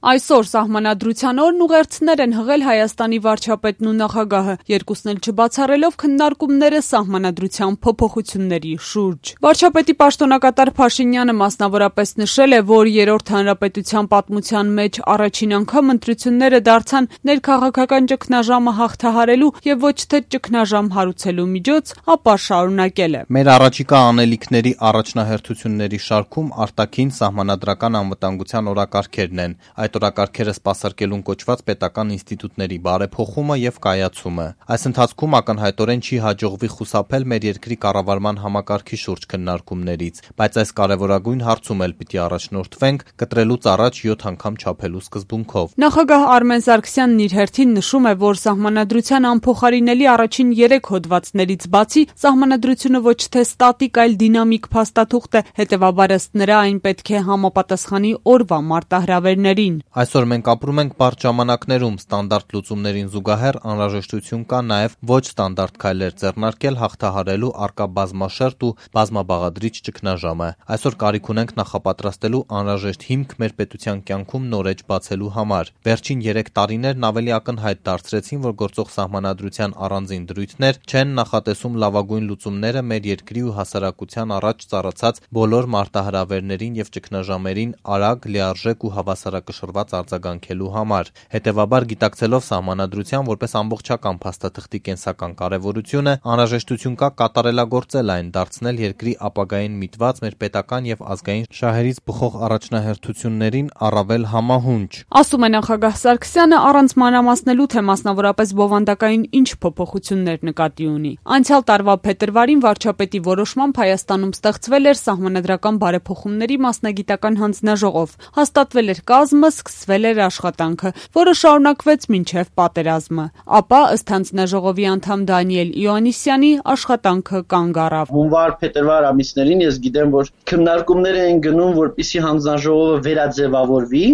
Այսօր Սահմանադրության օրն ուղերձներ են հղել Հայաստանի վարչապետն ու նախագահը, երկուսն էլ չբացառելով քննարկումները Սահմանադրության փոփոխությունների շուրջ։ Վարչապետի պաշտոնակատար Փաշինյանը մասնավորապես նշել է, որ երրորդ հանրապետության պատմության մեջ առաջին անգամ ընտրությունները դարձան ներքաղաքական ճգնաժամը հաղթահարելու եւ ոչ թե ճգնաժամ հարուցելու միջոց, ապա շարունակել է. Մեր առաջիկա անելիքների առաջնահերթությունների շարքում արտաքին սահմանադրական անվտանգության օրակարգերն են, այդ օրակարգերը սպասարկելուն կոչված պետական ինստիտուտների բարեփոխումը եւ կայացումը։ Այս ընթացքում ակնհայտորեն չի հաջողվի խուսափել մեր երկրի կառավարման համակարգի շուրջ քննարկումներից, բայց այս կարևորագույն հարցում էլ պիտի առաջնորդվենք կտրելուց առաջ 7 անգամ չափելու սկզբունքով։ Նախագահ Արմեն Սարգսյանն իր հերթին նշում է, որ Սահմանադրության անփոխարինելի առաջին 3 հոդվածներից բացի Սահմանադրությունը ոչ թե ստատիկ, այլ դինամիկ փաստաթուղթ է, հետևաբար ըստ նրա այն պետք է համապատասխանի օրվա մարտահրավերներին։ Այսօր մենք ապրում ենք բարդ ժամանակներում, ստանդարտ լուծումներին զուգահեռ անհրաժեշտություն կա նաև ոչ ստանդարտ քայլեր ձեռնարկել հաղթահարելու առկա բազմաշերտ ու բազմաբաղադրիչ ճգնաժամը։ Այսօր կարիք ունենք նախապատրաստելու անհրաժեշտ հիմք մեր պետության կյանքում նոր էջ բացելու համար։ Վերջին 3 տարիներն ավելի ակնհայտ դարձրեցին, որ գործող Սահմանադրության առանձին դրույթներ չեն նախատեսում լավագույն լուծումները մեր երկրի ու հասարակության առաջ ծառացած բոլոր մարտահրավերներին եւ ճգնաժամերին արագ, լիարժեք ու հավասարակշռված արձագանքելու համար։ Հետևաբար, գիտակցելով Սահմանադրության որպես ամբողջական փաստաթղթի կենսական կարևորությունը, անհրաժեշտություն կա կատարելագործել այն, դարձնել երկրի ապագային միտված մեր պետական եւ ազգային շահերից բխող առաջնահերթություններին առավել համահունչ։ Ասում է նախագահ Սարգսյանը, առանց մանրամասնելու, թե մասնավորապես բովանդակային ինչ փոփոխություններ նկատի ունի։ Անցյալ տարվա փետրվարին վարչապետի որոշմամբ Հայաստանում ստեղծվել էր Սահմանադրական բարեփոխումների մասնագիտական հանձնաժողով, հաստատվել էր կազմը, սկսվել էր աշխատանքը, որը շարունակվեց մինչև պատերազմը։ Ապա, ըստ հանձնաժողովի անդամ Դանիել Իոաննիսյանի, աշխատանքը կանգ առավ։ Հունվար-փետրվար ամիսներին ես գիտեմ, որ քննարկումներ են գնում, որպեսզի հանձնաժողովը վերաձևավորվի,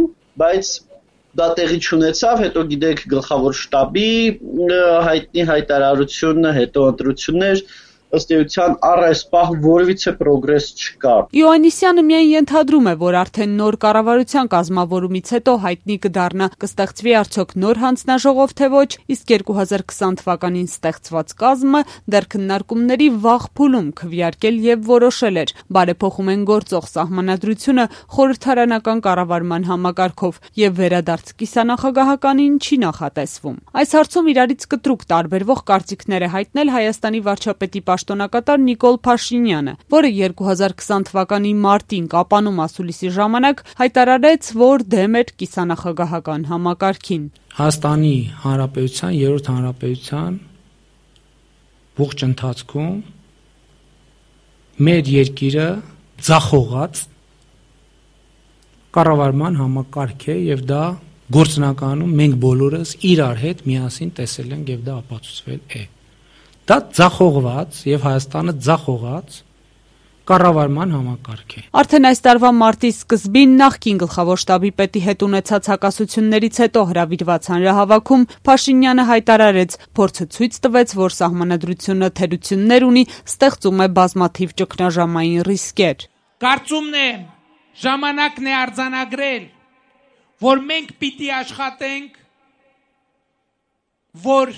բայց դա տեղի չունեցավ, հետո գիտեք գլխավոր շտաբի հայտնի հայտարարությունը, հետո ընտրություններ, ըստ էության առ այս պահ որևիցե պրոգրես չկա։ Իոաննիսյանը միայն ենթադրում է, որ արդեն նոր կառավարության կազմավորումից հետո հայտնի կդառնա կստեղծվի արդյոք նոր հանձնաժողով թե ոչ, իսկ 2020 թվականին ստեղծված կազմը դեռ քննարկումների վաղ փուլում քվեարկել եւ որոշել էր բարեփոխում են գործող Սահմանադրությունը խորհրդարանական կառավարման համակարգով եւ վերադարձ կիսանախագահականին չի նախատեսվում։ Այս հարցում իրարից կտրուկ տարբերվող կարծիքներ է հայտնել Հայաստանի վարչապետի պաշտոնակատար Նիկոլ Փաշինյանը, որը 2020 թվականի մարտին Կապանում ասուլիսի ժամանակ հայտարարեց, որ դեմ էր կիսանախագահական համակարգին։ Հայաստանի Հանրապետության, երրորդ հանրապետության ողջ ընթացքում մեր երկիրը ձախողած կառավարման համակարգ է եւ դա գործնականում մենք բոլորս իրար հետ միասին տեսել ենք եւ դա ապացուցվել է։ Դա ձախողված եւ Հայաստանը ձախողած կառավարման համակարգ է։ Արդեն այս տարվա մարտի սկզբին նախկին գլխավոր շտաբի պետի հետ ունեցած հակասություններից հետո հրավիրված հանրահավաքում Փաշինյանը հայտարարեց, փորձը ցույց տվեց, որ Սահմանադրությունը թերություններ ունի, ստեղծում է բազմաթիվ ճգնաժամային ռիսկեր։ Կարծումն է ժամանակն է արձանագրել, որ մենք պիտի աշխատենք, որ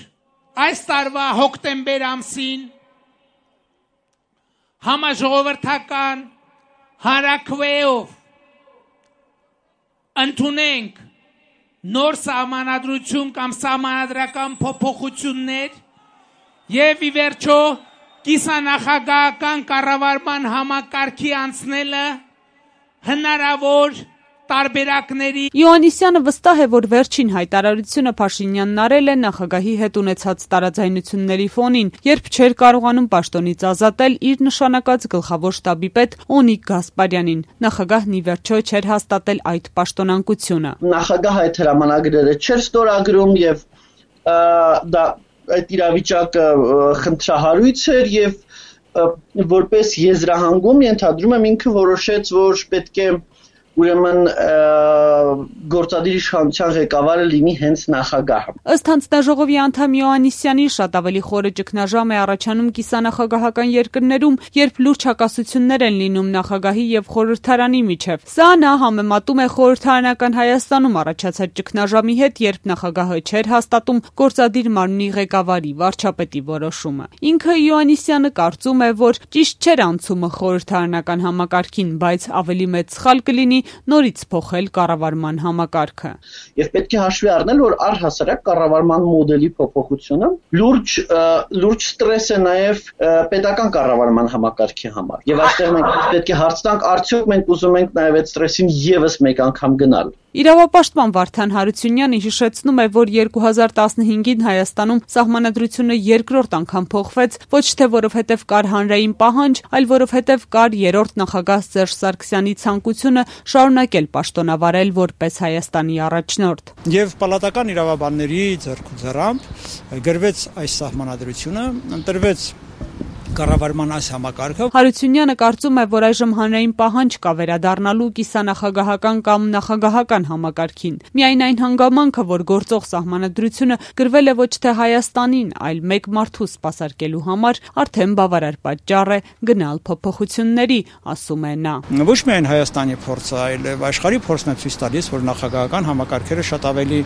այս տարվա հոկտեմբեր ամսին համաժողովրդական հանրաքվեով ընդունենք նոր սահմանադրություն կամ սահմանադրական փոփոխություններ եւ ի վերջո կիսանախագահական կառավարման համակարգի անցնելը հնարավոր տարբերակների։ Իոաննիսյանը վստահ է, որ վերջին հայտարարությունը Փաշինյանն արել է նախագահի հետ ունեցած տարաձայնությունների ֆոնին, երբ չէր կարողանում պաշտոնից ազատել իր նշանակած գլխավոր շտաբի պետ Օնիկ Գասպարյանին։ Նախագահն ի վերջո չէր հաստատել այդ պաշտոնանկությունը։ Նախագահը այդ հրամանագրերը չէր ստորագրում եւ դա այդ իրավիճակը խնդրահարույց էր եւ որպես եզրահանգում ենթադրում եմ ինքը որոշեց, որ պետք է ուրեմն գործադիր իշխանության ղեկավարը լինի հենց նախագահը։ Ըստ հանձնաժողովի անդամ Յոհաննիսյանի, շատ ավելի խորը ճգնաժամ է առաջանում կիսանախագահական երկրներում, երբ լուրջ հակասություններ են լինում նախագահի եւ խորհրդարանի միջև։ Սա նա համեմատում է խորհրդարանական Հայաստանում առաջացած ճգնաժամի հետ, երբ նախագահը չէր հաստատում գործադիր մարմնի ղեկավարի վարչապետի որոշումը։ Ինքը Յոհաննիսյանը կարծում է, որ ճիշտ չէր անցումը խորհրդարանական համակարգին, բայց ավելի մեծ սխալ կլինի նորից փոխել կառավարման համակարգը։ Եվ պետք է հաշվի առնել, որ առհասարակ կառավարման մոդելի փոփոխությունը լուրջ ստրես է նաև պետական կառավարման համակարգի համար։ Եվ այստեղ մենք պետք է հարց տանք, արդյոք մենք ուզում ենք նաև այդ ստրեսին եւս մեկ անգամ գնալ։ Իրավապաշտպան Վարդան Հարությունյանը հիշեցնում է, որ 2015-ին Հայաստանում սահմանադրությունը երկրորդ անգամ փոխվեց, ոչ թե որովհետև կար հանրային պահանջ, այլ որովհետև կար երրորդ նախագահ Սերժ Սարգսյանի ցանկությունը շարունակել պաշտոնավարել որպես Հայաստանի առաջնորդ։ Եվ պալատական իրավաբանների ձեռքուձեռամբ գրվեց այս սահմանադրությունը, ընտրվեց կառավարման այս համակարգը։ Հարությունյանը կարծում է, որ այժմ հանրային պահանջ կա վերադառնալու կիսանախագահական կամ նախագահական համակարգին։ Միայն այն հանգամանքը, որ գործող սահմանադրությունը գրվել է ոչ թե Հայաստանին, այլ մեկ մարդու սպասարկելու համար, արդեն բավարար պատճառ է գնալ փոփոխությունների, ասում է նա։ Ոչ միայն Հայաստանի փորձը, այլև աշխարհի փորձն է ցույց տալիս, որ նախագահական համակարգերը շատ ավելի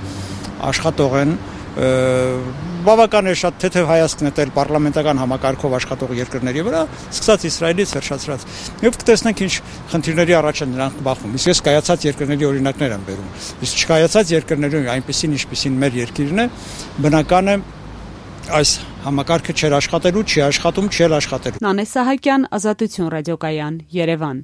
աշխատող են, բավական է շատ թեթև հայացք նետել պարլամենտական համակարգով աշխատող երկրների վրա, սկսած Իսրայելից վերջացրած։ Եվ կտեսնենք ինչ խնդիրների առաջ են նրանք բախվում։ Իսկ ես կայացած երկրների օրինակներ եմ բերում։ Իսկ չկայացած երկրներում այնպեսին, ինչպեսին մեր երկիրն է, բնական է այս համակարգը չի աշխատելու, չի աշխատում, չի աշխատելու։ Նանե Սահակյան, Ազատություն ռադիոկայան, Երևան։